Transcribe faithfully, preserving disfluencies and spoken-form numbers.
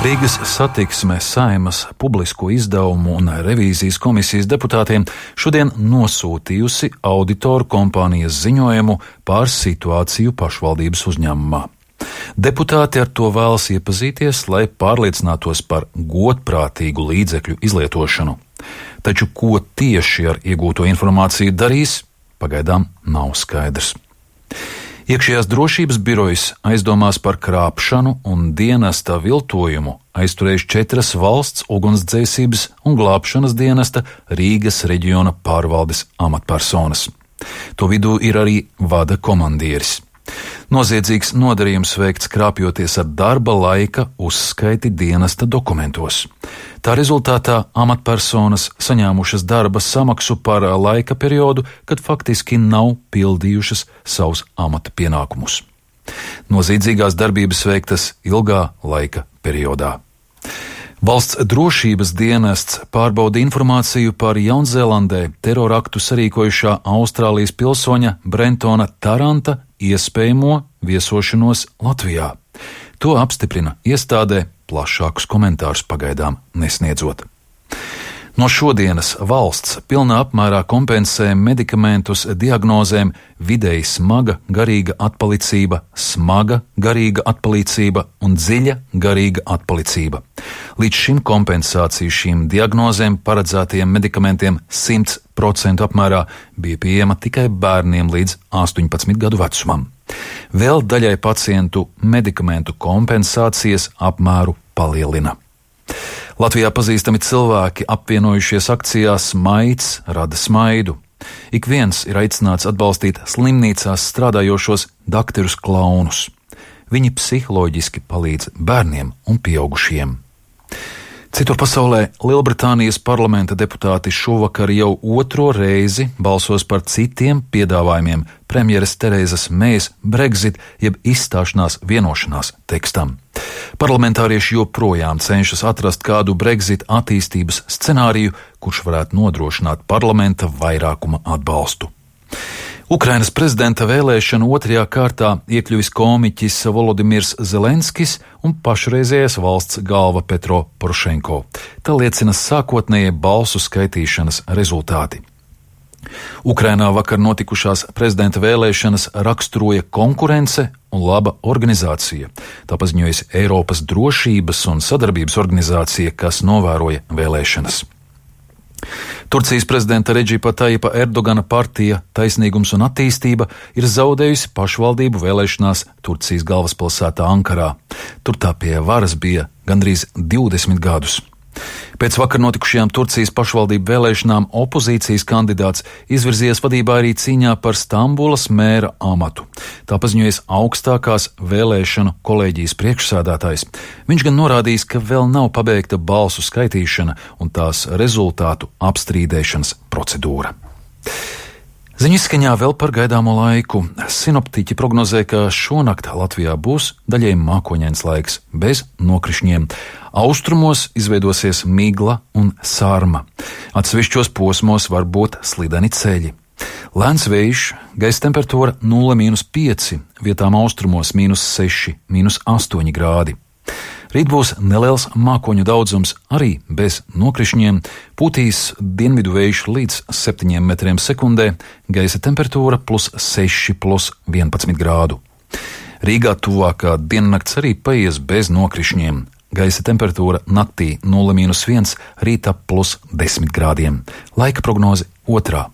Rīgas Satiksme Saeimas publisko izdevumu un revīzijas komisijas deputātiem šodien nosūtījusi auditoru kompānijas ziņojumu par situāciju pašvaldības uzņēmumā. Deputāti ar to vēlas iepazīties, lai pārliecinātos par godprātīgu līdzekļu izlietošanu. Taču ko tieši ar iegūto informāciju darīs, pagaidām nav skaidrs. Iekšējās drošības birojas aizdomās par krāpšanu un dienesta viltojumu aizturējuši četras valsts ugunsdzēsības un glābšanas dienesta Rīgas reģiona pārvaldes amatpersonas. To vidū ir arī vada komandieris. Noziedzīgs nodarījums veikts krāpjoties ar darba laika uzskaiti dienesta dokumentos. Tā rezultātā amatpersonas saņēmušas darba samaksu par laika periodu, kad faktiski nav pildījušas savus amata pienākumus. Noziedzīgās darbības veiktas ilgā laika periodā. Valsts drošības dienests pārbauda informāciju par Jaunzēlandē teroraktu sarīkojušā Austrālijas pilsoņa Brentona Taranta iespējamo viesošanos Latvijā. To apstiprina iestādē, plašākus komentārus pagaidām nesniedzot. No šodienas valsts pilnā apmērā kompensē medikamentus diagnozēm vidēji smaga garīga atpalicība, smaga garīga atpalicība un dziļa garīga atpalicība. Līdz šim kompensācija šīm diagnozēm paredzētajiem medikamentiem simt procentu apmērā bija pieejama tikai bērniem līdz astoņpadsmit gadu vecumam. Vēl daļai pacientu medikamentu kompensācijas apmēru palielina. Latvijā pazīstami cilvēki apvienojušies akcijā Smaids rada smaidu. Ik viens ir aicināts atbalstīt slimnīcās strādājošos dakterus klaunus. Viņi psiholoģiski palīdz bērniem un pieaugušiem. Citur pasaulē Lielbritānijas parlamenta deputāti šovakar jau otro reizi balsos par citiem piedāvājumiem premjeres Terezas Mejas Brexit jeb izstāšanās vienošanās tekstam. Parlamentārieši joprojām cenšas atrast kādu Brexit attīstības scenāriju, kurš varētu nodrošināt parlamenta vairākuma atbalstu. Ukrainas prezidenta vēlēšanu otrajā kārtā iekļuvis komiķis Volodimirs Zelenskis un pašreizējais valsts galva Petro Porošenko. Tā liecina sākotnējie balsu skaitīšanas rezultāti. Ukrainā vakar notikušās prezidenta vēlēšanas raksturoja konkurence un laba organizācija. Tā paziņojas Eiropas drošības un sadarbības organizācija, kas novēroja vēlēšanas. Turcijas prezidenta Redžipa Tajipa Erdogana partija Taisnīgums un attīstība ir zaudējusi pašvaldību vēlēšanās Turcijas galvaspilsētā Ankarā. Tur tā pie varas bija gandrīz divdesmit gadus. Pēc vakar notikušajām Turcijas pašvaldību vēlēšanām opozīcijas kandidāts izvirzies vadībā arī cīņā par Stambulas mēra amatu. Tā paziņojas augstākās vēlēšanu kolēģijas priekšsēdētājs. Viņš gan norādījis, ka vēl nav pabeigta balsu skaitīšana un tās rezultātu apstrīdēšanas procedūra. Ziņu izskaņā vēl par gaidāmo laiku. Sinoptiķi prognozē, ka šonakt Latvijā būs daļēji mākoņains laiks, bez nokrišņiem. Austrumos izveidosies migla un sārma. Atsevišķos posmos var būt slideni ceļi. Lēns vējš, gaisa temperatūra nulle mīnus pieci, vietām austrumos mīnus seši, mīnus astoņi grādi. Rīt būs neliels mākoņu daudzums, arī bez nokrišņiem, pūtīs dienvidu vējš līdz septiņiem metriem sekundē, gaisa temperatūra plus seši, plus vienpadsmit grādu. Rīgā tuvākā diennakts arī paies bez nokrišņiem, gaisa temperatūra naktī nulle mīnus viens, rīta plus desmit grādiem. Laika prognoze otrā.